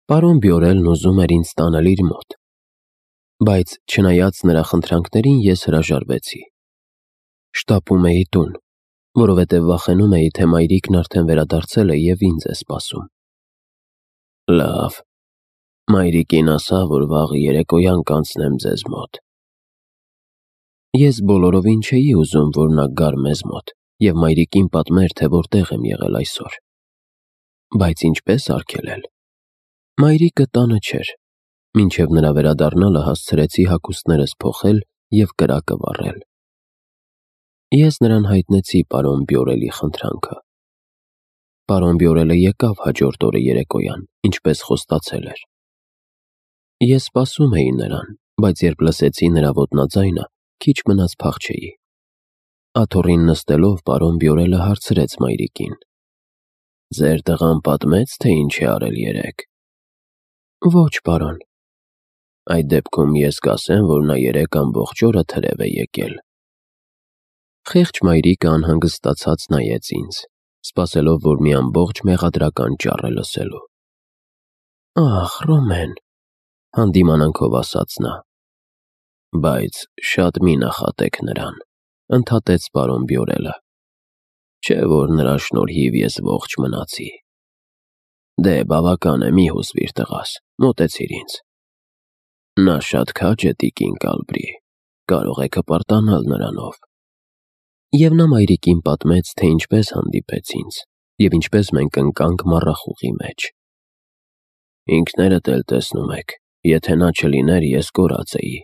Պարոն Բյորելն ուզում էր ինձ տանել իր մոտ, բայց չնայած նրա խնդրանքներին ես հրաժարվեցի։ Շտապում էի տուն, որովհետև վախենում էի, թե մայրիկն արդեն վերադարձել է և ինձ է սպասում։ Լավ, մայրիկին ասա, որ վաղը երեկոյան կանցնեմ ձեզ մոտ։ Ես բոլորովին չէի ուզում, որ նա գար մեզ մոտ և մայրիկին պատմեր, թե որտեղ եմ եղել այսօր։ Բայց ինչպես արգելել։ Մայրիկը տանը չէր, մինչև նրա վերադառնալը հասցրեցի հագուստներս փոխել և կրակը վառել։ Ես նրան հայտնեցի պարոն Բյորելի խնդրանքը։ Պարոն Բյորելը եկավ հաջորդ օրը երեկոյան, ինչպես խոստացել էր։ Ես սպասում էի նրան, բայց երբ լսեցի նրա ոտնաձայնը, քիչ մնաց փախչեի։ Աթոռին նստելով պարոն Բյորելը հարցրեց մայրիկին. «Ձեր տղան պատմեց, թե ինչ է արել երեկ»։ Ոչ, պարոն։ Այդ դեպքում ես կասեմ, որ նա երեկ ամբողջ օրը թրև է եկել։ Խեղճ մայրիկը անհանգստացած նայեց ինձ, սպասելով, որ մի ամբողջ մեղադրական ճառ է լսելու։ Ախ, Ռոմեն, հանդիմանանքով ասաց նա։ Բայց շատ մի նախատեք նրան, ընդհատեց պարոն Բյորելը։ Չէ՞ որ նրա շնորհիվ ես ողջ մնացի։ Դե բավական է, մի հուզվիր տղաս, մոտեցիր ինձ։ Նա շատ քաջ է տիկին Կալբրի, կարող եք հպարտանալ նրանով։ Եվ նա մայրիկին պատմեց, թե ինչպես հանդիպեց ինձ և ինչպես մենք ընկանք մառախուղի մեջ։ Ինքներդ էլ տեսնում եք, եթե նա չլիներ, ես կորած էի։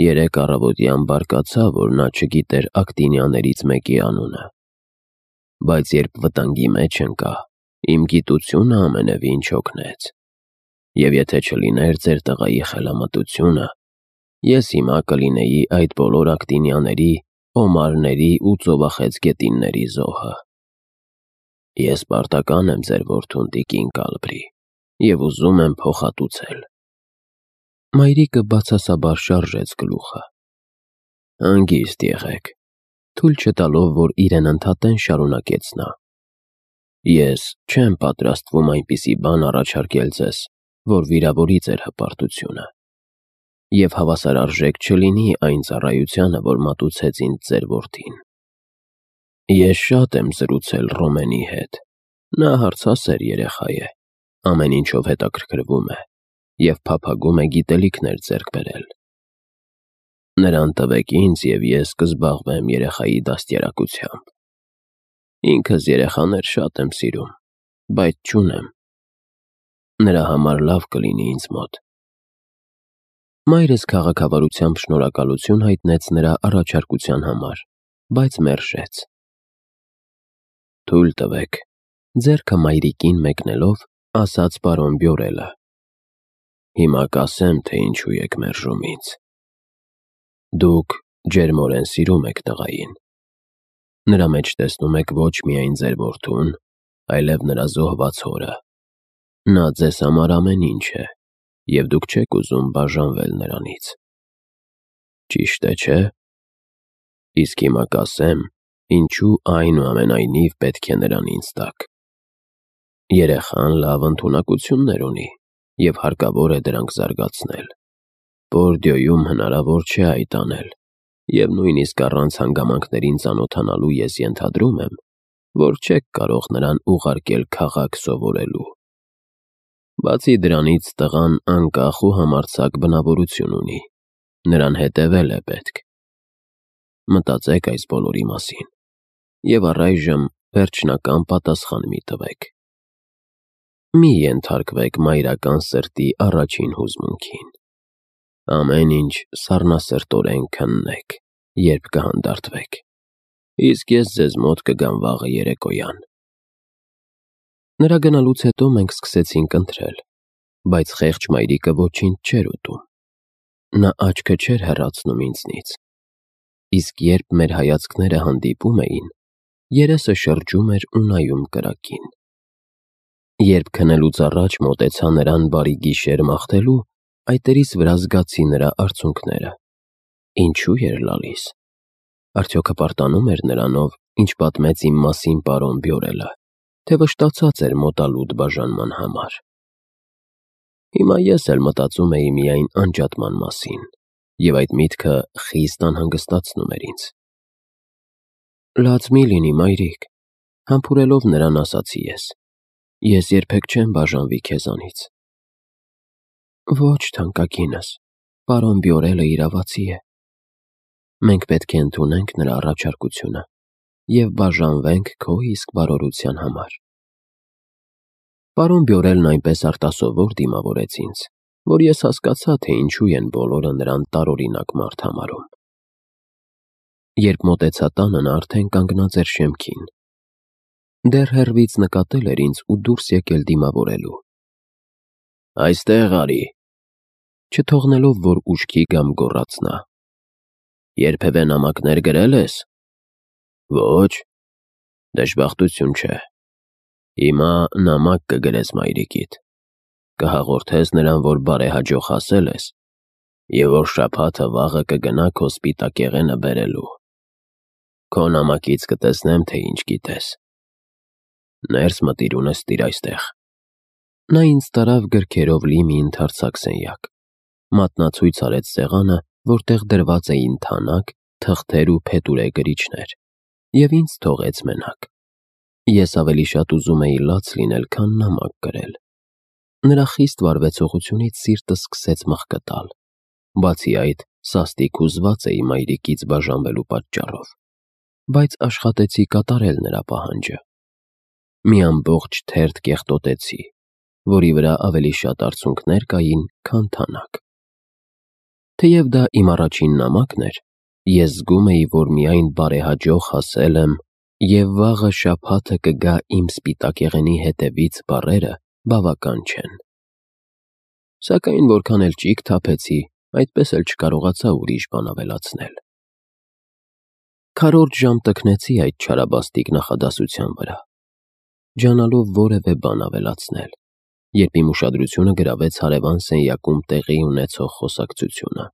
Երեկ առավոտյան բարկացա, որ նա չգիտեր Ակտինյաներից մեկի անունը։ Բայց երբ վտանգի մեջ ընկա, իմ գիտությունը ամենևին չօգնեց։ Եվ եթե չլիներ ձեր տղայի խելամտությունը, ես հիմա կլինեի այդ բոլոր Ակտինյաների, Օմարների ու ծովախեցգետինների զոհը։ Ես պարտական եմ ձեր որդուն տիկին Կալբրի և ուզում եմ փոխհատուցել։ Մայրիկը բացասաբար շարժեց գլուխը։ Հանգիստ եղեք, թույլ չտալով, որ իրեն ընդհատեն, շարունակեց նա։ Ես չեմ պատրաստվում այնպիսի բան առաջարկել ձեզ, որ վիրավորի ձեր հպարտությունը, և հավասարարժեք չլինի այն ծառայությանը, որ մատուցեց ինձ ձեր որդին։ Ես շատ եմ զրուցել Ռոմենի հետ, նա հարցասեր երեխա է, ամեն ինչով հետաքրքրվում է և փափագում է գիտելիքներ ձեռք բերել։ Նրան տվեք ինձ, և ես կզբաղվեմ երեխայի դաստիարակությամբ։ Ինքս երեխաներ շատ եմ սիրում, բայց չունեմ։ Նրա համար լավ կլինի ինձ մոտ։ Մայրս քաղաքավարությամբ շնորհակալություն հայտնեց նրա առաջարկության համար, բայց մերժեց։ Թույլ տվեք, ձեռքը մայրիկին մեկնելով, ասաց պարոն Բյորելը։ Հիմա կասեմ, թե ինչու եք մերժում ինձ։ Դուք ջերմորեն սիրում եք տղային։ Նրա մեջ տեսնում եք ոչ միայն ձեր որդուն, այլև նրա զոհված հորը։ Նա ձեզ համար ամեն ինչ է, և դուք չեք ուզում բաժանվել նրանից։ Ճիշտ է, չէ՞։ Իսկ հիմա կասեմ, ինչու այնուամենայնիվ պետք է նրան ինձ տաք։ Երեխան լավ ընդունակություններ ունի, և հարկավոր է դրանք զարգացնել։ Բորդյոյում հնարավոր չէ այդ անել, և նույնիսկ առանց հանգամանքներին ծանոթանալու ես ենթադրում եմ, որ չեք կարող նրան ուղարկել քաղաք սովորելու։ Բացի դրանից տղան անկախ ու համարձակ բնավորություն ունի, նրան հետևել է պետք։ Մտածեք այս բոլորի մասին, և առայժմ վերջնական պատասխան մի տվեք։ Մի ենթարկվեք մայրական սրտի առաջին հուզմունքին։ Ամեն ինչ սառնասրտորեն քննեք, երբ կհանդարտվեք, իսկ ես ձեզ մոտ կգամ վաղը երեկոյան։ Նրա գնալուց հետո մենք սկսեցինք ընթրել, բայց խեղճ մայրիկը ոչինչ չէր ուտում։ Նա աչքը չէր հեռացնում ինձնից, իսկ երբ մեր հայացքները հանդիպում էին, երեսը շրջում էր ու նայում կրակին։ Երբ քնելուց առաջ մոտեցա նրան բարի գիշեր մաղթելու, այտերիս վրա զգացի նրա արցունքները։ Ինչու էր լալիս։ Արդյոք հպարտանում էր նրանով, ինչ պատմեց իմ մասին պարոն Բյորելը, թե վշտացած էր մոտալուտ բաժանման համար։ Հիմա ես էլ մտածում էի միայն անջատման մասին, և այդ միտքը խիստ անհանգստացնում էր ինձ։ Լաց մի լինի, մայրիկ, համբուրելով նրան ասացի ես։ Ես երբեք չեմ բաժանվի քեզանից։ Ոչ, թանկագինս, պարոն Բյորելը իրավացի է։ Մենք պետք է ընդունենք նրա առաջարկությունը և բաժանվենք քո իսկ բարօրության համար։ Պարոն Բյորելն այնպես արտասովոր դիմավորեց ինձ, որ ես հասկացա, թե ինչու են բոլորը նրան տարօրինակ մարդ համարում։ Երբ մոտեցա տանը, նա արդեն կանգնած էր շեմքին։ Դեռ հեռվից նկատել էր ինձ ու դուրս եկել դիմավորելու։ Այստեղ արի, չթողնելով, որ ուշքի գամ, գոռաց նա։ Երբևէ նամակներ գրել ես։ Ոչ, դժբախտություն չէ։ Հիմա նամակ կգրես մայրիկիդ, կհաղորդես նրան, որ բարեհաջող հասել ես, և որ շաբաթը վաղը կգնա քո սպիտակեղենը բերելու։ Քո նամակից կտեսնեմ, թե ինչ գիտես։ Ներս մտիր ու նստիր այստեղ։ Նա ինձ տարավ գրքերով լի մի ընդարձակ սենյակ, մատնացույց արեց սեղանը, որտեղ դրված էին թանակ, թղթեր ու փետուրե գրիչներ, և ինձ թողեց մենակ։ Ես ավելի շատ ուզում էի լաց լինել, քան նամակ գրել։ Նրա խիստ վարվեցողությունից սիրտս սկսեց մղկտալ։ Բացի այդ, սաստիկ հուզված էի մայրիկից բաժանվելու պատճառով, բայց աշխատեցի կատարել նրա պահանջը։ Մի ամբողջ թերթ կեղտոտեցի, որի վրա ավելի շատ արցունքներ կային, քան թանակ։ Թեև դա իմ առաջին նամակն էր, ես զգում էի, որ միայն բարեհաջող հասել եմ, և վաղը շաբաթը կգա իմ սպիտակեղենի հետևից բառերը բավական չեն։ Սակայն որքան էլ ճիգ թափեցի, այդպես էլ չկարողացա ուրիշ բան ավելացնել։ Քառորդ ժամ տքնեցի այդ չարաբաստիկ նախադասության վրա, ջանալով որևէ բան ավելացնել, երբ իմ ուշադրությունը գրավեց հարևան սենյակում տեղի ունեցող խոսակցությունը։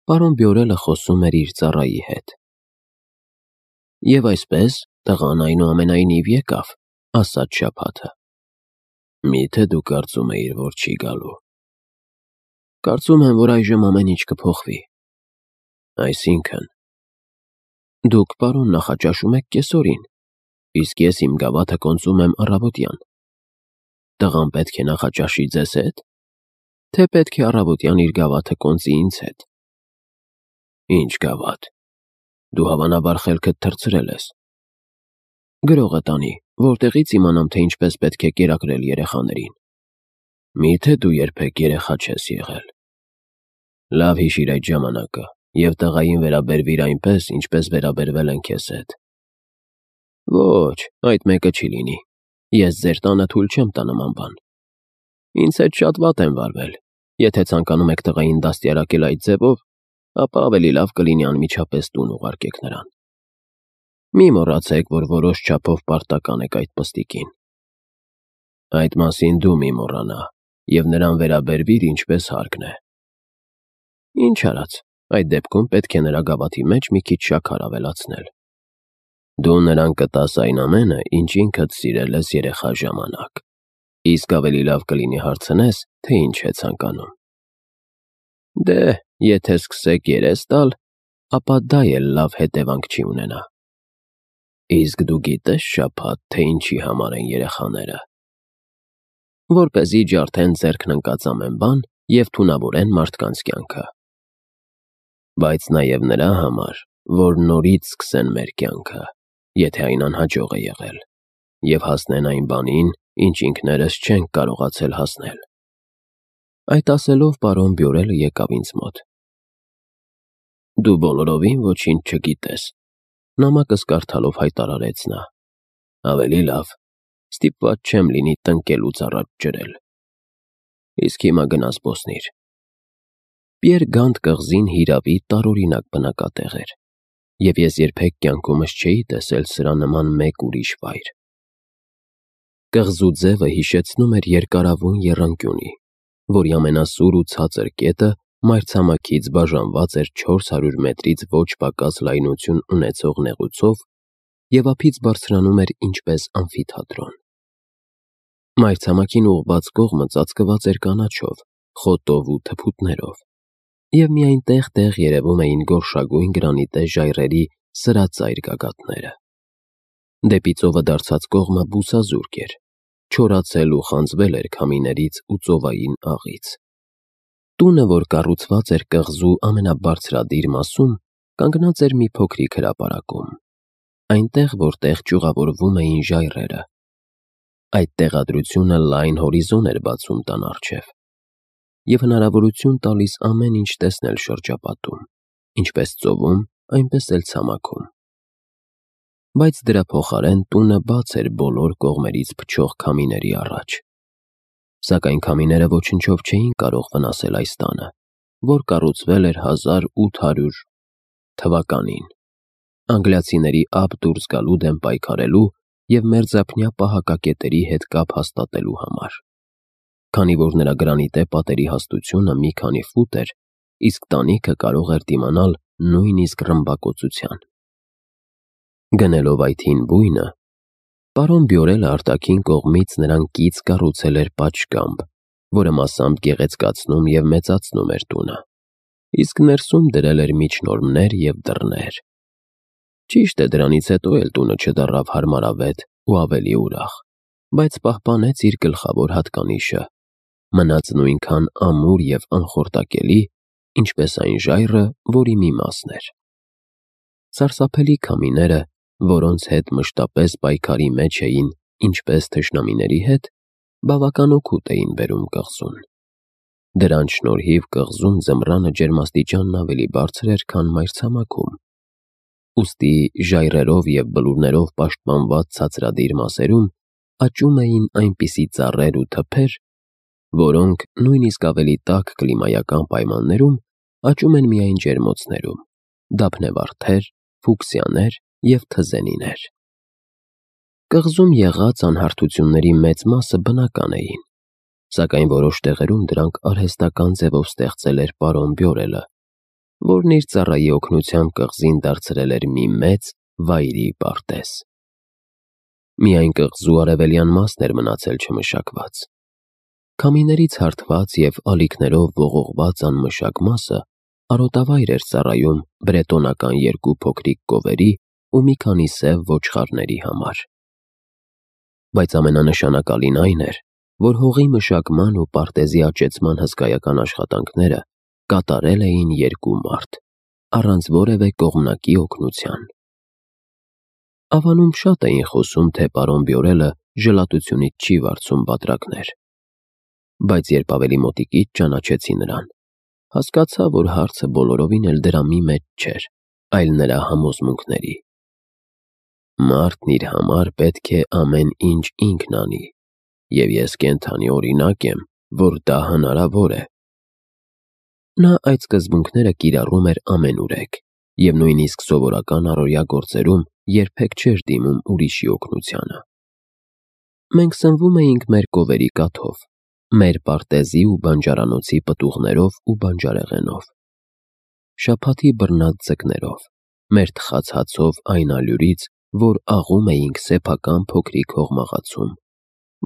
Պարոն Բյորելը խոսում էր իր ծառայի հետ։ Եվ այսպես, տղան այնուամենայնիվ եկավ, ասաց շաբաթը։ Միթե դու կարծում էիր, որ չի գալու։ Կարծում եմ, որ այժմ ամեն ինչ կփոխվի։ Այսինքն, դուք, պարոն, նախաճաշում եք կեսօրին, իսկ ես իմ գավաթը կոնծում եմ առավոտյան։ Տղան պետք է նախաճաշի ձեզ հետ, թե պետք է առավոտյան իր գավաթը կոնծի ինձ հետ։ Ինչ գավաթ։ Դու հավանաբար խելքդ թռցրել ես։ Գրողը տանի, որտեղից իմանամ, թե ինչպես պետք է կերակրել երեխաներին։ Միթե դու երբեք երեխա չես եղել։ Լավ հիշիր այդ ժամանակը և տղային վերաբերվիր այնպես, ինչպես վերաբերվել են քեզ հետ։ Ոչ, այդ մեկը չի լինի։ Ես ձեր տանը թույլ չեմ տա նման բան։ Ինձ հետ շատ վատ են վարվել։ Եթե ցանկանում եք տղային դաստիարակել այդ ձևով, ապա ավելի լավ կլինի անմիջապես տուն ուղարկեք նրան։ Մի մոռացեք, որ որոշ չափով պարտական եք այդ պստիկին։ Այդ մասին դու մի մոռանա և նրան վերաբերվիր ինչպես հարկն է։ Ինչ արած, այդ դեպքում պետք է նրա գավաթի մեջ մի քիչ շաքար ավելացնել։ Դու նրան կտաս այն ամենը, ինչ ինքդ սիրել ես երեխա ժամանակ, իսկ ավելի լավ կլինի հարցնես, թե ինչ է ցանկանում։ Դե, եթե սկսեք երես տալ, ապա դա էլ լավ հետևանք չի ունենա։ Իսկ դու գիտես շաբաթ, թե ինչի համար են երեխաները։ Որպեսզի ջարդեն ձեռքն ընկած ամեն բան և թունավորեն մարդկանց կյանքը։ Բայց նաև նրա համար, որ նորից սկսեն մեր կյանքը, եթե այն անհաջող է եղել, և հասնեն այն բանին, ինչ ինքներս չենք կարողացել հասնել։ Այդ ասելով պարոն Բյորելը եկավ ինձ մոտ։ Դու բոլորովին ոչինչ չգիտես, նամակս կարդալով հայտարարեց նա։ Ավելի լավ, ստիպված չեմ լինի տնկելուց առաջ ջրել։ Իսկ հիմա գնա զբոսնիր։ Պիեր Գանտ կղզին հիրավի տարօրինակ բնակատեղ էր, և ես երբեք կյանքումս չէի տեսել սրա նման մեկ ուրիշ վայր։ Կղզու ձևը հիշեցնում էր երկարավուն եռանկյունի, որի ամենասուր ու ցածր կետը մայրցամաքից բաժանված էր 400 մետրից ոչ պակաս լայնություն ունեցող նեղուցով և ափից բարձրանում էր ինչպես ամֆիթատրոն։ Մայրցամաքին ուղղված կողմը ծածկված էր կանաչով, խոտով ու թփուտներով, և միայն տեղ-տեղ երևում էին գորշագույն գրանիտե ժայռերի սրածայր գագաթները։ Դեպի ծովը դարձած կողմը բուսազուրկ էր, չորացել ու խանձվել էր քամիներից ու ծովային աղից։ Տունը, որ կառուցված էր կղզու ամենաբարձրադիր մասում, կանգնած էր մի փոքրիկ հրապարակում, այնտեղ, որտեղ ճյուղավորվում էին ժայռերը։ Այդ տեղադրությունը լայն հորիզոն էր բացում տան առջև և հնարավորություն տալիս ամեն ինչ տեսնել շրջապատում, ինչպես ծովում, այնպես էլ ցամաքում։ Բայց դրա փոխարեն տունը բաց էր բոլոր կողմերից փչող քամիների առաջ։ Սակայն քամիները ոչնչով չէին կարող վնասել այս տանը, որ կառուցվել էր 1800 թվականին, անգլիացիների ափ դուրս գալու դեմ պայքարելու և մերձափնյա պահակակետերի հետ կապ հաստատելու համար։ Քանի որ նրա գրանիտե պատերի հաստությունը մի քանի ֆուտ էր, իսկ տանիքը կարող էր դիմանալ նույնիսկ ռմբակոծության։ Գնելով այդ հին բույնը, պարոն Բյորելը արտաքին կողմից նրան կից կառուցել էր պատշգամբ, որը մասամբ գեղեցկացնում և մեծացնում էր տունը, իսկ ներսում դրել էր միջնորմներ և դռներ։ Ճիշտ է, դրանից հետո էլ տունը չդառավ հարմարավետ ու ավելի ուրախ, բայց պահպանեց իր գլխավոր հատկանիշը, մնաց նույնքան ամուր և անխորտակելի, ինչպես այն ժայռը, որի մի մասն էր։ Սարսափելի քամիները, որոնց հետ մշտապես պայքարի մեջ էին ինչպես թշնամիների հետ, բավական օգուտ էին բերում կղզուն։ Դրանց շնորհիվ կղզում ձմռանը ջերմաստիճանն ավելի բարձր էր, քան մայրցամաքում, ուստի ժայռերով և բլուրներով պաշտպանված ցածրադիր մասերում աճում էին այնպիսի ծառեր ու թփեր, որոնք նույնիսկ ավելի տաք կլիմայական պայմաններում աճում են միայն ջերմոցներում՝ դափնեվարդեր, ֆուկսիաներ և թզենիներ։ Կղզում եղած անհարթությունների մեծ մասը բնական էին, սակայն որոշ տեղերում դրանք արհեստական ձևով ստեղծել էր պարոն Բյորելը, որն իր ծառայի օգնությամբ կղզին դարձրել էր մի մեծ վայրի պարտեզ։ Միայն կղզու արևելյան մասն էր մնացել չմշակված։ Քամիներից հարթված և ալիքներով ողողված անմշակ մասը արոտավայր էր ծառայում բրետոնական 2 փոքրիկ կովերի ու մի քանի սև ոչխարների համար։ Բայց ամենանշանակալին այն էր, որ հողի մշակման ու պարտեզի աճեցման հսկայական աշխատանքները կատարել էին 2 մարդ, առանց որևէ կողմնակի օգնության։ Ավանում շատ էին խոսում, թե պարոն Բյորելը ժլատությունից չի վարձում բատրակներ, բայց երբ ավելի մոտիկից ճանաչեցի նրան, հասկացա, որ հարցը բոլորովին էլ դրամի մեջ չէր, այլ նրա համոզմունքների։ Մարդն իր համար պետք է ամեն ինչ ինքն անի, և ես կենդանի օրինակ եմ, որ դա հնարավոր է։ Նա այդ սկզբունքները կիրառում էր ամենուրեք և նույնիսկ սովորական առօրյա գործերում երբեք չէր դիմում ուրիշի օգնությանը։ Մենք սնվում էինք մեր կովերի կաթով, մեր պարտեզի ու բանջարանոցի պտուղներով ու բանջարեղենով, շաբաթի բռնած ձկներով, մեր թխած հացով այն ալյուրից, որ աղում էինք սեփական փոքրիկ հողմաղացում,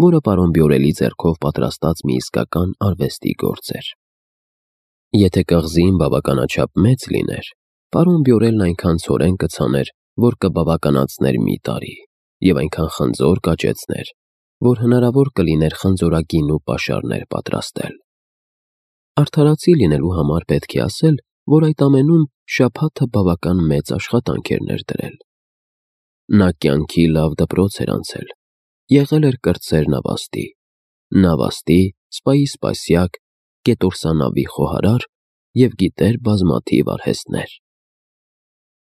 որը պարոն Բյորելի ձեռքով պատրաստած մի իսկական արվեստի գործ էր։ Եթե կղզին բավականաչափ մեծ լիներ, պարոն Բյորելն այնքան ցորեն կցաներ, որ կբավականացներ մի տարի, և այնքան խնձոր կաճեցներ, որ հնարավոր կլիներ խնձորագին ու պաշարներ պատրաստել։ Արդարացի լինելու համար պետք է ասել, որ այդ ամենում շաբաթը բավական մեծ աշխատանք էր ներդրել։ Նա կյանքի լավ դպրոց էր անցել, եղել էր կրտսեր նավաստի, սպայի սպասյակ, կետորսանավի խոհարար և գիտեր բազմաթիվ արհեստներ։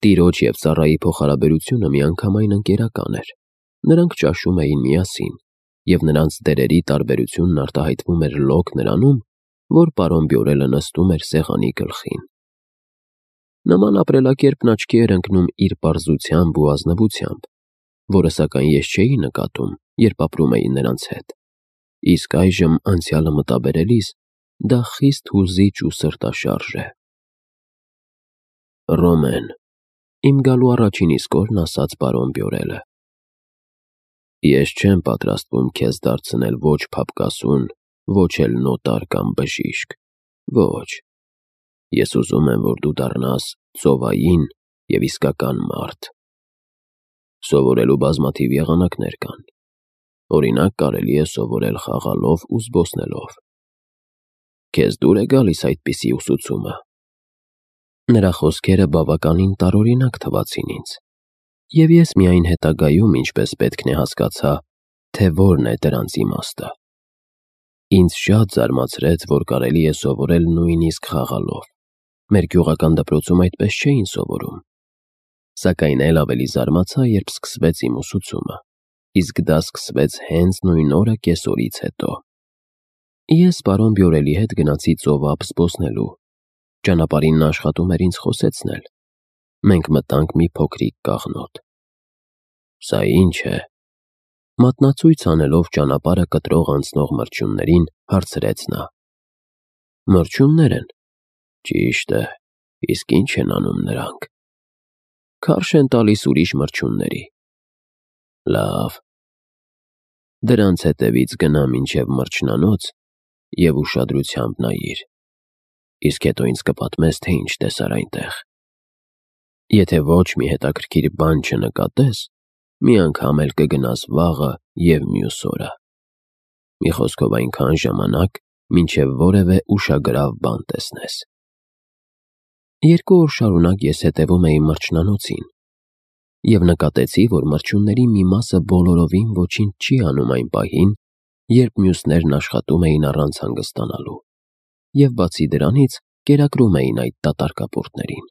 Տիրոջ և ծառայի փոխհարաբերությունը միանգամայն ընկերական էր, նրանք ճաշում էին միասին, և նրանց դերերի տարբերությունն արտահայտվում էր լոկ նրանում, որ պարոն Բյորելը նստում էր սեղանի գլխին։ Նման ապրելակերպն աչքի էր ընկնում իր պարզությամբ ու ազնվությամբ, որը սակայն ես չէի նկատում, երբ ապրում էի նրանց հետ, իսկ այժմ անցյալը մտաբերելիս դա խիստ հուզիչ ու սրտաշարժ է։ Ռոմեն, իմ գալու առաջին իսկ օրն ասաց պարոն Բյորելը։ Ես չեմ պատրաստվում քեզ դարձնել ոչ փափկասուն, ոչ էլ նոտար կամ բժիշկ, ոչ։ Ես ուզում եմ, որ դու դառնաս ծովային և իսկական մարդ։ Սովորելու բազմաթիվ եղանակներ կան։ Օրինակ, կարելի է սովորել խաղալով ու զբոսնելով։ Քեզ դուր է գալիս այդպիսի ուսուցումը։ Նրա խոսքերը բավականին տարօրինակ թվացին ինձ, և ես միայն հետագայում ինչպես պետք է հասկացա, թե որն է դրանց իմաստը։ Ինձ շատ զարմացրեց, որ կարելի է սովորել նույնիսկ խաղալով։ Մեր գյուղական դպրոցում այդպես չէին սովորում։ Սակայն էլ ավելի զարմացա, երբ սկսվեց իմ ուսուցումը, իսկ դա սկսվեց հենց նույն օրը կեսօրից հետո։ Ես պարոն Բյորելի հետ գնացի ծով ափ զբոսնելու։ Ճանապարհին նա աշխատում էր ինձ խոսեցնել։ Մենք մտանք մի փոքրիկ կաղնոտ։ Սա ի՞նչ է։ Մատնացույց անելով ճանապարհը կտրող անցնող մրջյուններին, հարցրեց նա։ Մրջյուններ են։ Ճիշտ է, իսկ ի՞նչ են անում նրանք։ Քարշ են տալիս ուրիշ մրջյունների։ Լավ։ Դրանց հետևից գնա մինչև մրջնանոց և ուշադրությամբ նայիր։ Իսկ հետո ինձ կպատմես, թե ինչ տեսար այնտեղ։ Եթե ոչ մի հետաքրքիր բան չնկատես, մի անգամ էլ կգնաս վաղը և մյուս օրը։ Մի խոսքով այնքան ժամանակ, մինչև որևէ ուշագրավ բան տեսնես։ 2 օր շարունակ ես հետևում էի մրջնանոցին և նկատեցի, որ մրջյունների մի մասը բոլորովին ոչինչ չի անում այն պահին, երբ մյուսներն աշխատում էին առանց հանգստանալու, և բացի դրանից կերակրում էին այդ դատարկապորտներին։